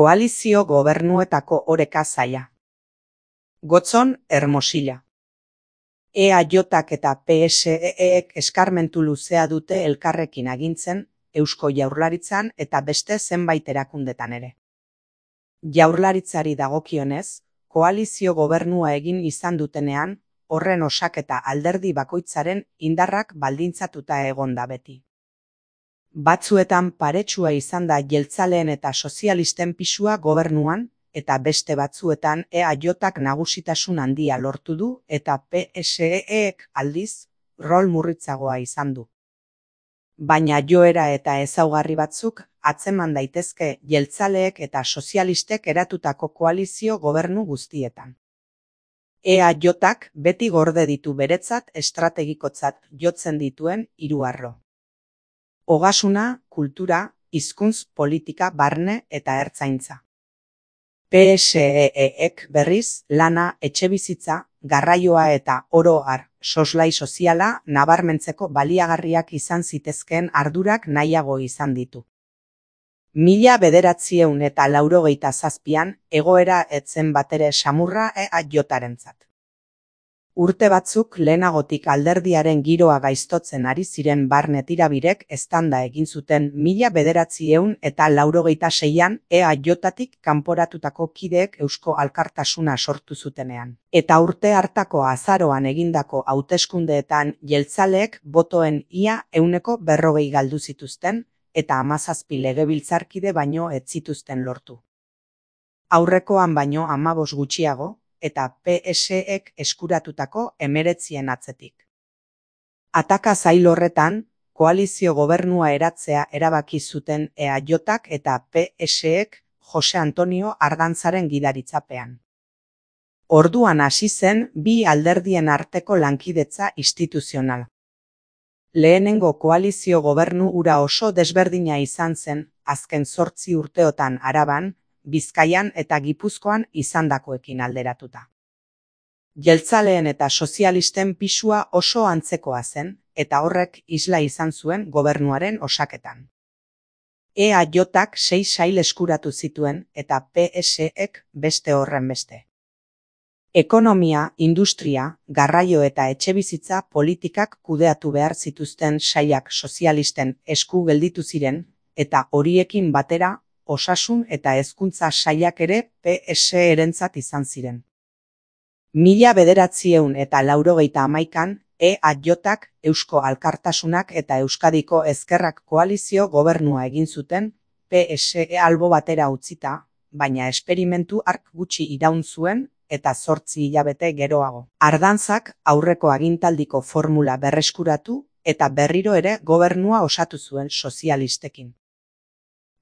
Koalizio gobernuetako oreka zaila. Gotzon, Hermosilla. EAJak eta PSEek eskarmentu luzea dute elkarrekin agintzen, Eusko Jaurlaritzan eta beste zenbait erakundetan ere. Jaurlaritzari dagokionez, koalizio gobernua egin izan dutenean, horren osaketa alderdi bakoitzaren indarrak baldintzatuta egon da beti. Batzuetan paretsua izan da jeltzaleen eta sozialisten pisua gobernuan, eta beste batzuetan EAJak nagusitasun handia lortu du eta PSEek aldiz rol murritzagoa izan du. Baina joera eta ezaugarri batzuk atzeman daitezke jeltzaleek eta sozialistek eratutako koalizio gobernu guztietan. EAJak beti gorde ditu beretzat estrategikotzat jotzen dituen hiru arlo. Ogasuna, kultura, hizkuntz, politika, barne eta ertzaintza. PSEek berriz lana, etxebizitza, garraioa eta oro har soslai soziala nabarmentzeko baliagarriak izan zitezkeen ardurak nahiago izan ditu. 1987an egoera ez zen batere samurra EAJarentzat. Urte batzuk lehenagotik alderdiaren giroa gaiztotzen ari ziren barne tirabirek eztanda egin zuten 1986an EAJatik kanporatutako kideek Eusko Alkartasuna sortu zutenean. Eta urte hartako azaroan egindako hauteskundeetan jeltzaleek botoen ia 40% galdu zituzten, eta 17 legebiltzarkide baino ez zituzten lortu. Aurrekoan baino 15 gutxiago, eta PSEek eskuratutako 19 atzetik. Ataka zail horretan, koalizio gobernua eratzea erabaki zuten EAJak eta PSEek Jose Antonio Ardantzaren gidaritzapean. Orduan hasi zen bi alderdien arteko lankidetza instituzionala. Lehenengo koalizio gobernu hura oso desberdina izan zen, azken 8 urteotan Araban, Bizkaian eta Gipuzkoan izandakoekin alderatuta. Jeltzaleen eta sozialisten pisua oso antzekoa zen, eta horrek isla izan zuen gobernuaren osaketan. EAJak 6 sail eskuratu zituen eta PSEek beste horren beste. Ekonomia, industria, garraio eta etxebizitza politikak kudeatu behar zituzten sailak sozialisten esku gelditu ziren, eta horiekin batera, osasun eta hezkuntza sailak ere PSErentzat izan ziren. 1991an EAJak, Eusko Alkartasunak eta Euskadiko Ezkerrak koalizio gobernua egin zuten, PSE albo batera utzita, baina esperimentu hark gutxi iraun zuen eta 8 hilabete geroago. Ardantzak aurreko agintaldiko formula berreskuratu eta berriro ere gobernua osatu zuen sozialistekin.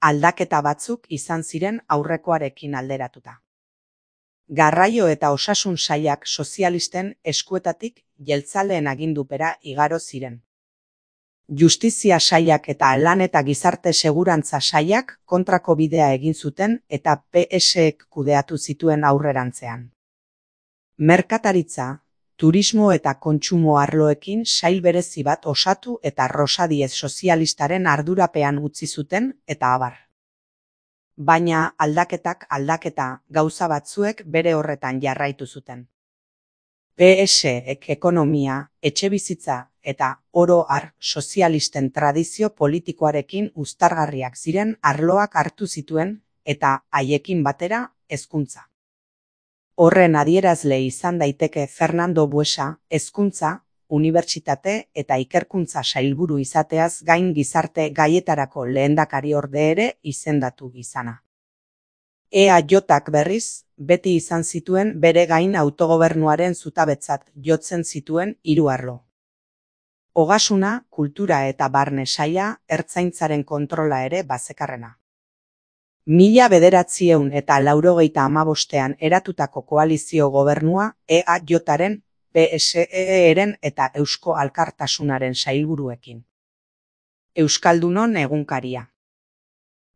Aldaketa batzuk izan ziren aurrekoarekin alderatuta. Garraio eta osasun sailak sozialisten eskuetatik jeltzaleen agindupera igaro ziren. Justizia sailak eta lan eta gizarte segurantza sailak kontrako bidea egin zuten eta PSEek kudeatu zituen aurrerantzean. Merkataritza, turismo eta kontsumo arloekin sail berezi bat osatu eta Rosadiez sozialistaren ardurapean utzi zuten eta abar. Baina aldaketa gauza batzuek bere horretan jarraitu zuten. PSEek ekonomia, etxebizitza eta oro har sozialisten tradizio politikoarekin uztargarriak ziren arloak hartu zituen eta haiekin batera hezkuntza. Horren adierazle izan daiteke Fernando Buesa, hezkuntza, unibertsitate eta ikerkuntza sailburu izateaz gain gizarte gaietarako lehendakariorde ere izendatu izana. EAJak berriz, beti izan zituen bere gain autogobernuaren zutabetzat jotzen zituen hiru arlo. Ogasuna, kultura eta barne saila, ertzaintzaren kontrola ere bazekarrena. 1985an eratutako koalizio gobernua EAJaren, PSEren eta Eusko Alkartasunaren sailburuekin. Euskaldunon egunkaria.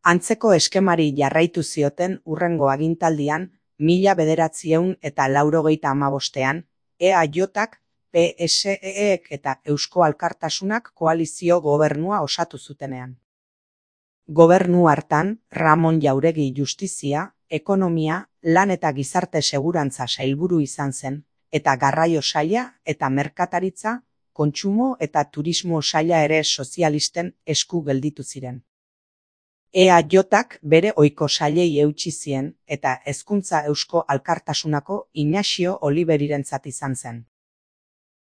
Antzeko eskemari jarraitu zioten hurrengo agintaldian 1985an EAJak, PSEek eta Eusko Alkartasunak koalizio gobernua osatu zutenean. Gobernu hartan, Ramon Jauregi Justizia, Ekonomia, Lan eta Gizarte Segurantza sailburu izan zen, eta Garraio saila eta Merkataritza, Kontsumo eta Turismo saila ere sozialisten esku gelditu ziren. EAJak bere ohiko sailei eutsi zien eta Hezkuntza Eusko Alkartasunako Inaxio Oliverirentzat izan zen.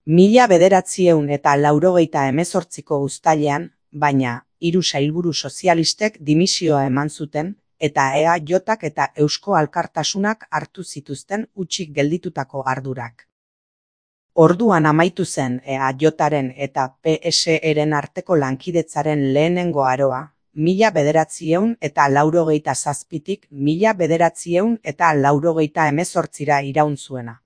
1988ko uztailean, baina, 3 sailburu sozialistek dimisioa eman zuten, eta EAJak eta Eusko Alkartasunak hartu zituzten hutsik gelditutako ardurak. Orduan amaitu zen EAJaren eta PSEren arteko lankidetzaren lehenengo aroa, 1987tik 1988ra iraun zuena.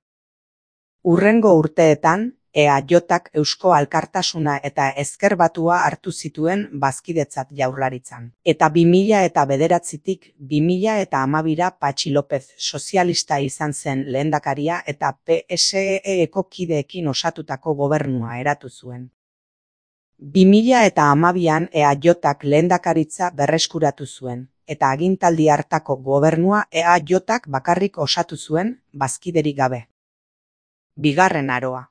Hurrengo urteetan, EAJak Eusko Alkartasuna eta Ezker Batua hartu zituen bazkidetzat Jaurlaritzan. Eta 2009tik 2012ra Patxi López sozialista izan zen lehendakaria eta PSE-eko kideekin osatutako gobernua eratu zuen. 2012an EAJak lehendakaritza berreskuratu zuen, eta agintaldi hartako gobernua EAJak bakarrik osatu zuen, bazkiderik gabe. Bigarren aroa.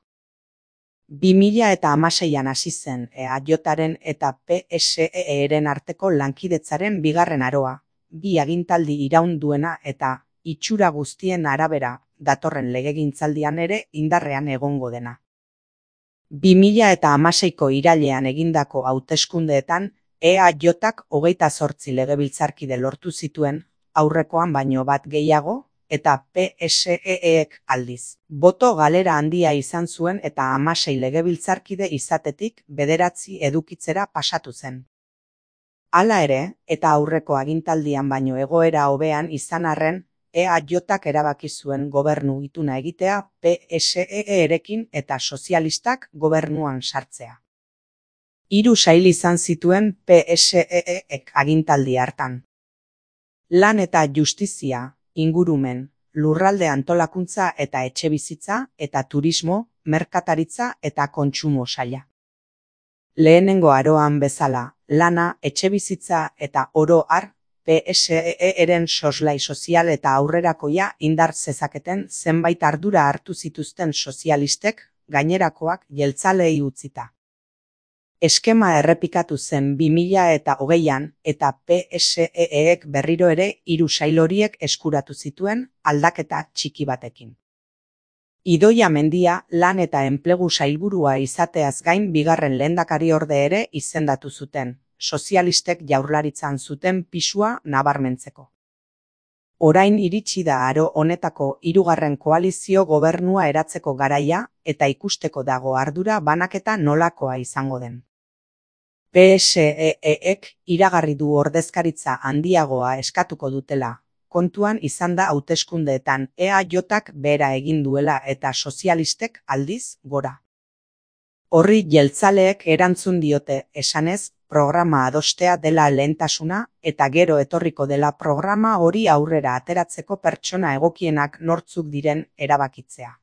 2016an hasi zen EAJaren eta PSE-eren arteko lankidetzaren bigarren aroa, 2 agintaldi iraun duena eta, itxura guztien arabera, datorren legegintzaldian ere indarrean egongo dena. 2016ko irailean egindako hauteskundeetan, EAJak 28 legebiltzarkide lortu zituen, aurrekoan baino bat gehiago, eta PSE-ek aldiz. Boto galera handia izan zuen eta 16 legebiltzarkide izatetik 9 edukitzera pasatu zen. Hala ere, eta aurreko agintaldian baino egoera hobean izan arren, EAJak erabaki zuen gobernu ituna egitea PSE-erekin eta sozialistak gobernuan sartzea. 3 sail izan zituen PSE-ek agintaldi hartan. Lan eta Justizia, Ingurumen, Lurralde Antolakuntza eta Etxebizitza eta Turismo, Merkataritza eta Kontsumo saila. Lehenengo aroan bezala, lana, etxebizitza eta oro har, PSE-eren soslai sozial eta aurrerakoia indar zezaketen zenbait ardura hartu zituzten sozialistek, gainerakoak jeltzaleei utzita. Eskema errepikatu zen 2020an eta PSE-ek berriro ere 3 sail horiek eskuratu zituen aldaketa txiki batekin. Idoia Mendia lan eta enplegu sailburua izateaz gain bigarren lehendakariorde ere izendatu zuten, sozialistek Jaurlaritzan zuten pisua nabarmentzeko. Orain iritsi da aro honetako 3. koalizio gobernua eratzeko garaia eta ikusteko dago ardura banaketa nolakoa izango den. PSE-ek iragarri du ordezkaritza handiagoa eskatuko dutela, kontuan izan da hauteskundeetan EAJak behera egin duela eta sozialistek aldiz gora. Horri jeltzaleek erantzun diote esanez, programa adostea dela lehentasuna eta gero etorriko dela programa hori aurrera ateratzeko pertsona egokienak nortzuk diren erabakitzea.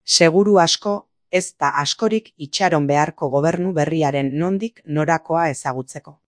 Seguru asko, ez da askorik itxaron beharko gobernu berriaren nondik norakoa ezagutzeko.